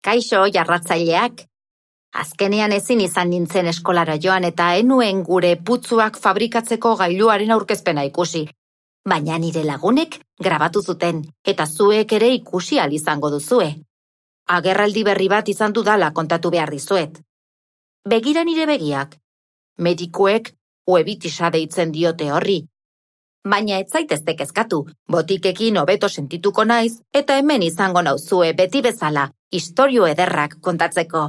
Kaixo, jarratzaileak. Azkenean ezin izan nintzen eskolara joan eta enuen gure putzuak fabrikatzeko gailuaren aurkezpena ikusi. Baina nire lagunek grabatu zuten eta zuek ere ikusi ahal izango duzue. Agerraldi berri bat izan dudala kontatu behar dizuet. Begira nire begiak. Medikuek uebitisa deitzen diote horri. Baina ez zaitezte kezkatu, botikekin hobeto sentituko naiz eta hemen izango nauzue beti bezala, istorio ederrak kontatzeko.